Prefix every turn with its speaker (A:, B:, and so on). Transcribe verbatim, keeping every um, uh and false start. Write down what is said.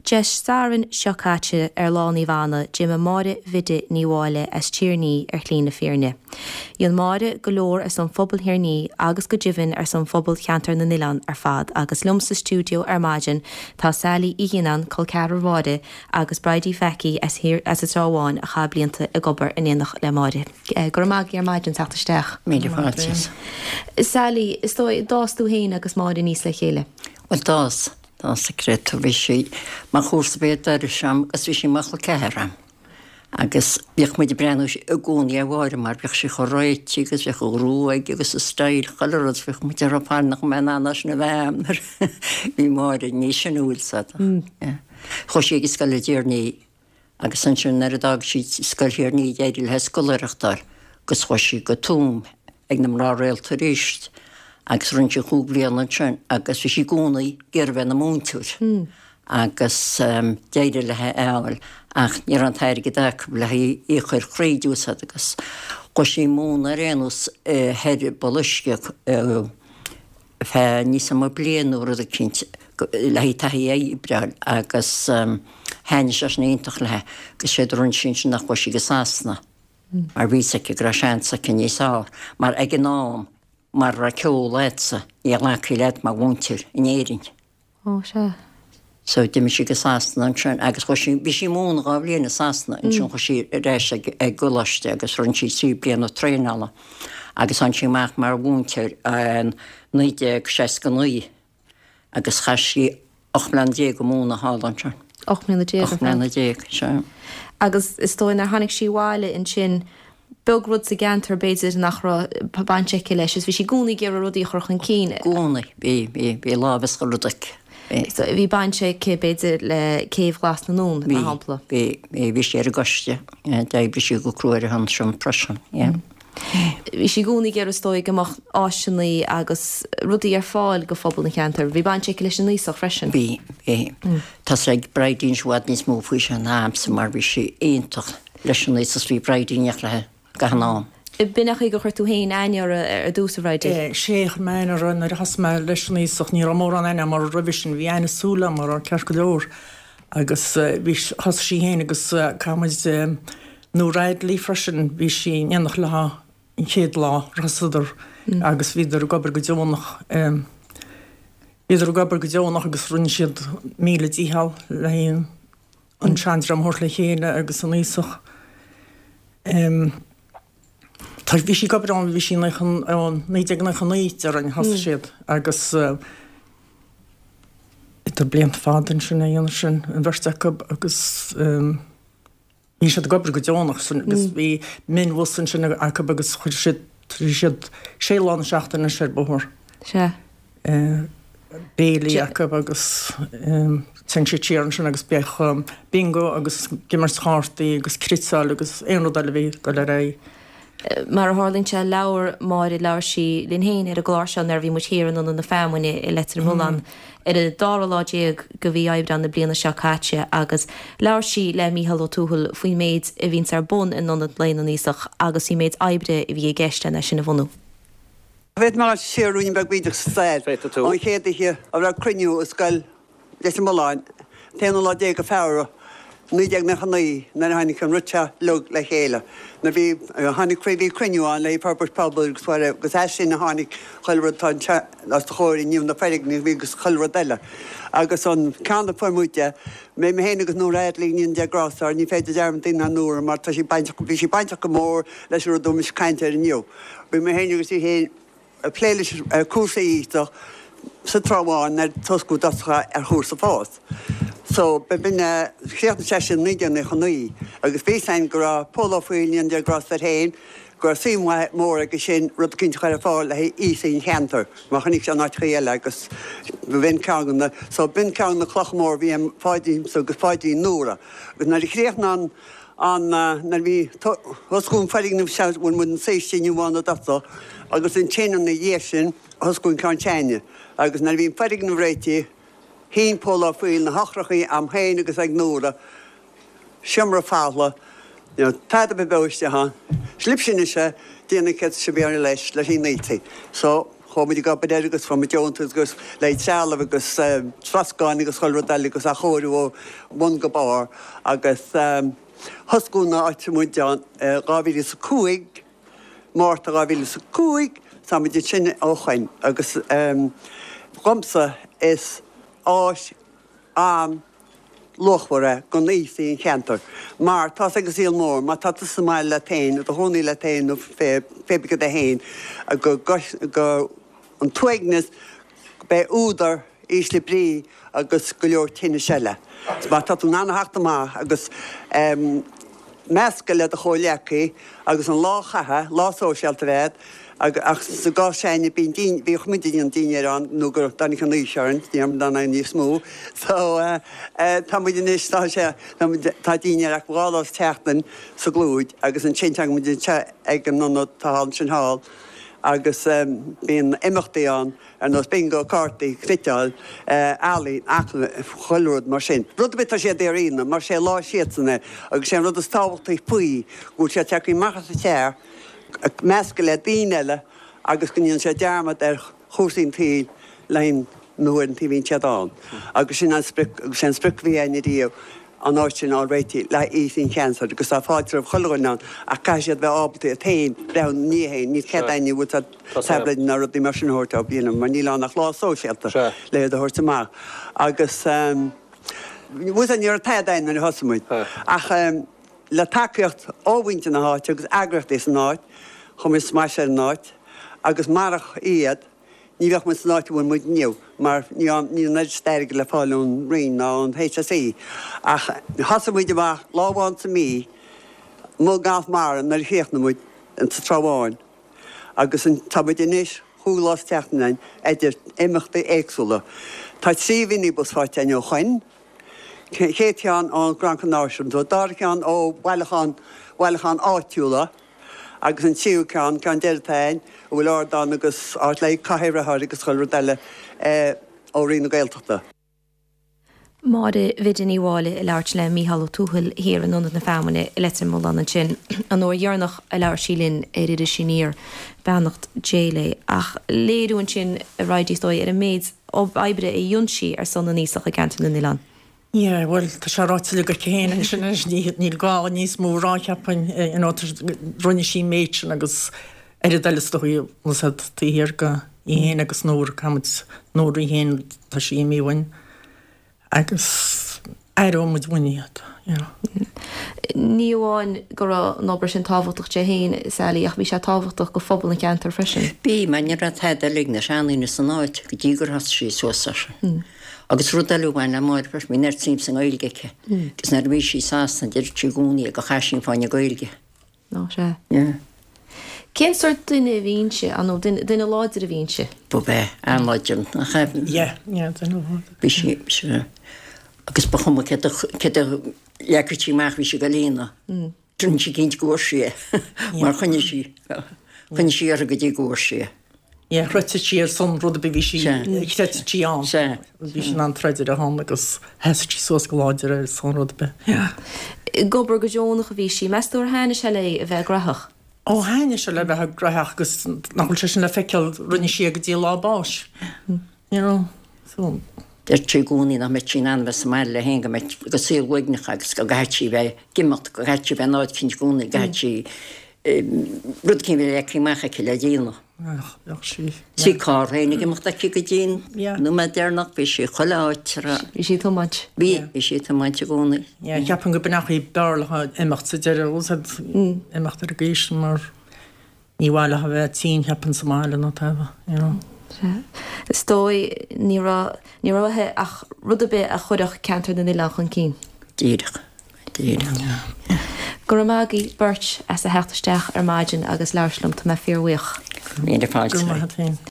A: Dé Sathairn seo caite ar Lá Naomh Anna d'imigh Máire Bhiddy Ní Mháille as Tír Ní ar shlí na fírinne. Dhein Máire go leor ar son phobal Thír Ní agus go deimhin ar son phobal cheantar na nOileán ar fad agus liom sa stiúideo ar maidin tá Sally Uí Ghiannáin col ceathrar Mháire agus Bridie Phacky as as an Trá Bháin a chaith blianta ag obair in éineacht le Máire. Go raibh maith agaibh ar maidin teacht isteach.
B: Míle fáilte.
A: Sally, is dóigh d'fhás tú féin agus Máire aníos le chéile.
B: Well d'fhás d'fhás a creat bhí sí mar chúrsa bé sem agus bhí sí mar chol ceathrar Agus bhíodh muid ag breathnú i gcónaí ar Mháire mar bhíodh sí chomh réitithe agus bhíodh a gruaig agus a style chuile rud bhíodh muid ar fad nach mbeadh an sin a bheith bhí Máire níos sine sa. Chuaigh sí ag scoil i dTír Ní agus ansin nuair a d'fhág sí scoil Thír Ní d'éirigh léi scoláireacht a fháil agus chuaigh sí go Tuaim ag na mná rialta arís agus rinne sí cúig bliana ansin agus bhí sí i gcónaí ag iarraidh bheith ina múinteoir. agus um, d'éirigh léi é a fháil ach ní raibh an t-airgead acu le í a chur thríd agus chuaigh sí ag múineadh ar aon nós ar Boluisce fe níos mó bliain nó rud eicínt le taithí oibre agus um, thaitnigh sé sin iontach léi agus sé run sin sin nach chuaigh sí go Sasana. Mar bhí aici go raibh seans aici níos fearr, mar ag an am mura raibh ceol agatsa ní ghlacfaí leat mar mhúinteoir in Éirinn.
A: Ó sé.
B: So d'imigh sí go Sasana ansin agus chuaigh sí bhí sí ag múineadh dhá bhliain i Sasana ansin chuaigh sí ar ais ag ag coláiste agus rinne sí trí bliana traenála agus tháinig sí amach mar mhúinteoir an naoi déag seasca naoi agus chaith sí ocht mbliana déag ag múineadh thall ansin.
A: Ocht mbliana déag.
B: Ocht mbliana déag sé.
A: Agus is dóigh nuair tháinig sí abhaile ansin beag rud sa gceantar b'fhéidir nach raibh baint aici leis, is bhí sí i gcónaí ag iarraidh rudaí a chur chun cinn.
B: I gcónaí bhí bhí bhí lámh is rud aici.
A: So bhí baint aici b'fhéidir le Céibh Ghlas na nDún mar shampla.
B: Bhí bhí bhí sí ar an gcoiste d'oibrigh sí go crua ar an sin freisin. Yeah.
A: Bhí sí i gcónaí ag iarraidh is dóigh go mbeadh áiseanna agus rudaí ar fáil go phobal an cheantair. Bhí baint aici leis an Aosach freisin.
B: Bhí bhí Tá ag Bridie i bhfad níos mó faoi sin ná mise mar bhí sí iontach leis an Aosach bhí Bridie le gach am.
A: B'in é gur chuir tú féin aithne uirthi ar dtús a Bhridie.
C: Sé mé nuair a thosaigh mé leis an Aosach ní raibh mórán aithne mar roimhe sin bhí aithne súl mar ceart go leor agus bhí thosaigh sí féin agus camuid nó Radley freisin bhí sí in éineacht léi an chéad lá thosaíodar agus bhíodar ag obair go deonach bhíodar ag obair go deonach agus rinne siad míle dícheall le haon an seandream a thabhairt le chéile agus an Aosach. Um, Tá bhí sí ag obair ann bhí sí naoi déag nócha naoi ar an thosaigh siad agus idir blianta fada sin a dhéanamh sin an bheirt acu agus bhí siad ag obair go deonach agus bhí minibus ansin acu agus chuir siad siad sé lá na seachtaine ar bóthar.
A: Se.
C: Béilí acu agus ten siad siar ansin agus bheadh bingo agus imirt chártaí agus cniotáil agus aon rud eile bhí go le ré.
A: Mar a tharlaíonn sé labhair Máire labhair sí linn féin ar an gclár seo nuair a bhí muid thiar in Ionad na Feamainne i Leitir Mealláin ar an dara lá déag de mhí Aibreán na bliana seo caite agus labhair sí le Mícheál Ó Tuathail faoin méid a bhíonns ar bun in Ionad Lae na nAosach agus faoin méid oibre a bhí i gceist lena sin a bhunú.
D: Bheith mar siarúin beag bídeach sa stair. An chéad oíche a raibh cruinniú i scoil Leitir Mealláin, t-aonú lá déag de Feabhra, naoi déag nócha naoi nuair a tháinig an rud seo uilig le chéile. Nuair bhí tháinig bhí cruinniú ann le forbairt pobail agus agus as sin a tháinig chuile rud tá os do chomhair inniu na foirgnimh agus chuile rud eile. Agus an ceann a fuair muide, mé mé féin agus Nóra Adley ní de Grásar, ní féidir dearmad déanamh ar Nóra mar tá sí bainteach bhí sí bainteach go mór leis an rud a bhí caint air inniu. Bhí mé féin agus í féin ag plé leis cúrsaí Aosach sa Trá Bháin ar toscú doscha ar chúrsa fós. So b'in chríochnaigh sé sin naoi déag nócha naoi agus bhí sin go raibh Pól Ó Foighil an de Grásar féin go raibh suim mhór aige sin rud eicínt a chur ar fáil le haosaigh an cheantair mar chonaic sé in áiteachaí eile agus b'in ceann na so b'in ceann na clocha mór bhí an Pháidín agus Pháidín Nóra agus nuair a chríochnaigh an an nuair bhí thoscú an foirgneamh seo bhfuil muid an saoiste inniu ann a dtosach agus ansin ina dhiaidh sin thoscú an ceann s'againne agus nuair a bhí an foirgneamh réitithe Shín Pól Ó Foighil na heochrachaí a'm féin agus ag Nóra seomra folamh you know, tada ar bith isteach ann. Slip sin is déanamh céad sibéir leis leis an naoi. So Chuaigh muid ag obair air agus fuair muid deontas agus le haghaidh trealamh agus troscán agus chuile rud eile agus athchóiriú ó bhun go barr agus thoscadh an áit muid ann dhá mhíle is a cúig, Márta dhá mhíle is a cúig, tá muid ansin ó shoin agus dhomsa is áis an luachmhar é don aosaigh an cheantair mar tá's ag an saol mór má tá tú sa mbaile leat féin, i do chónaí leat féin nó pé bith é féin go go an t-uaigneas beidh údar ísle brí agus go leor tinnis eile. Má tá tú in ann a theacht amach agus meascadh le do chomhghleacaí agus an lá a chaitheamh, lá sóisialta a bheith agat, ach sa gcás s'againne bíonn dín, bhíodh muid ag déanamh dinnéir ann nó go dtáinig an aois orainn, ní raibh muid in ann níos mó. So tá muid anois, tá sé, tá muid, tá dinnéar acu dhá lá sa tseachtain sa gClúid agus ansin tagann muid anseo ag an ionad atá ansin thall agus bíonn imeachtaí ann ar nós bingo, cártaí, cniotáil, ealaín, achan, chuile rud mar sin. Rud ar bith atá siad a dhéanamh mar sé lá siadsan é agus sé an rud is tábhachtaí faoi go bhfuil siad tagtha amach as an teach, ag meascadh le daoine eile agus go ndéanann siad dearmad ar chúrsaí an tsaoil le haghaidh na huaireanta a bhíonn siad ann. Agus sin an sprioc, agus sé an sprioc a bhí againn ariamh an áit sin a fháil réitithe le haghaidh aosaigh an cheantair agus tá fáilte roimh chuile dhuine ann ach caithfidh siad bheith ábalta iad féin breathnú ina ndiaidh féin, níl cead éinne bhfuil siad tablaeid ná rudaí mar sin a thabhairt dóibh, you know, mar níl ann ach lá sóisialta le iad a thabhairt amach. Agus bhfuil ní raibh tada againn nuair a thosaigh muid ach le tacaíocht ó mhuintir na háite agus eagraíochtaí san áit, chuir muid smacht ar an áit agus marach iad ní bheadh muid san áit a bhfuil muid inniu mar ní níl an oiread sin airgid le fáil ón Roinn ná ón HSE. Ach thosaigh muid amach lá amháin sa mí, amuigh i nGalf Mara nuair a chríochnaigh muid sa Trá Bháin agus tá muid anois chúig lá sa tseachtain ann idir imeachtaí éagsúla. Tá trí mhinibus faighte againn ó shoin. Chéad cheann ón Grand Náisiúnta, an dara ceann ó bhailiúchán bhailiúchán áitiúla agus an tríú ceann, ceann deiridh atá againn, a bhfuil ardán agus áit le cathaoir a chur agus chuile rud eile ó Roinn na Gaeltachta.
A: Máire Bhiddy Ní Mháille ag labhairt le Mícheál Ó Tuathail thiar in Ionad na Feamainne i Leitir Mealláin ansin an uair dheireanach a labhair sí linn ar Iris Aniar, beannacht Dé léi. Ach léiriú ansin a Bhridie is dóigh ar an méid oibre a dhein sí ar son na n-aosach i gceantar na n-oileán.
C: Yeah, bhuel, tá sé ráite uilig aici féin ansin anois, níl gá níos mó a rá, cheapfainn, you know, rinne sí an méid sin agus oiread eile is dóigh, bhfuil a fhios agat, taobh thiar de í féin agus Nóra, caithfidh muid Nóra í féin, tá sí imithe uainn agus aireoidh muid uainn iad, you know.
A: Ní amháin go raibh an obair sin tábhachtach di féin, Sally, ach bhí sé tábhachtach go phobal an cheantair freisin.
B: Bhí, mar ní raibh tada eile ag na seandaoine san áit go dtí gur thosaigh sí suas air sin. Agus rud eile a bhain le Máire freisin, bhí neart suim sa nGaeilge aici. Agus nuair a bhí sí i Sasana, deireadh sí i gcónaí go chaith sí an fáinne Gaeilge.
A: Ná sea.
B: Yeah.
A: Cén sórt duine a bhí inti, nó duine láidir a bhí inti?
B: Ba é, an-láidir, nach ea?
C: Yeah, yeah, duine láidir.
B: Bhí sí, sea. Agus ba chuma céard a, céard a leagfadh sí amach, bhí sí ag dul a dhéanamh. Rinne sí cinnte go bhfuair sí é, mar choinnigh sí, choinnigh sí uirthi go dtí go bhfuair sí é.
C: Yeah, throid sí ar son rud ar bith bhí sí, chreid sí ann.
B: Sea.
C: Bhí sí in ann troid ar a shon agus sheas sí suas go láidir ar son rud ar bith. Yeah.
A: Ag obair go deonach a bhí sí. Meas tú ar thaitnigh sé léi a bheith graitheach?
C: Ó thaitnigh sé léi a bheith graitheach agus nach bhfuil sé sin le feiceáil, rinne sí é go dtí a lá báis. You know, so.
B: Deir sí i gcónaí nach mbeadh sí in ann a bheith sa mbaile léi féin, go mbeadh, go saol uaigneach agus go gcaithfidh sí bheith ag imeacht, go gcaithfidh sí bheith in áit eicínt i gcónaí, go gcaithfidh sí rud eicínt a bheith leagtha amach aici le déanamh.
C: Bheadh sí.
B: Bhí carr féin ag imeacht aici go dtí an nóiméad deireanach, bhí sí chuile áit a raibh.
A: Bhí sí ag tiomáint.
B: Bhí, bhí sí ag tiomáint i gcónaí.
C: Yeah, ceapaim go b'in an chaoi b'fhearr léi imeacht sa deireadh, imeacht ar an gcaoi sin mar. Ní mhaith léi a bheith tinn, cheapfainn, sa mbaile ná tada, you know.
A: Sea. Is dóigh, ní raibh, ní raibh uaithi ach rud ar bith a chuirfeadh ceantar na n-oileán chun cinn.
B: Díreach. Díreach. Yeah.
A: Go raibh maith agaibh beirt as a theacht isteach ar maidin agus labhairt liom, tá mé fíorbhuíoch.
B: Míle fáilte.
C: Go raibh maith agat féin.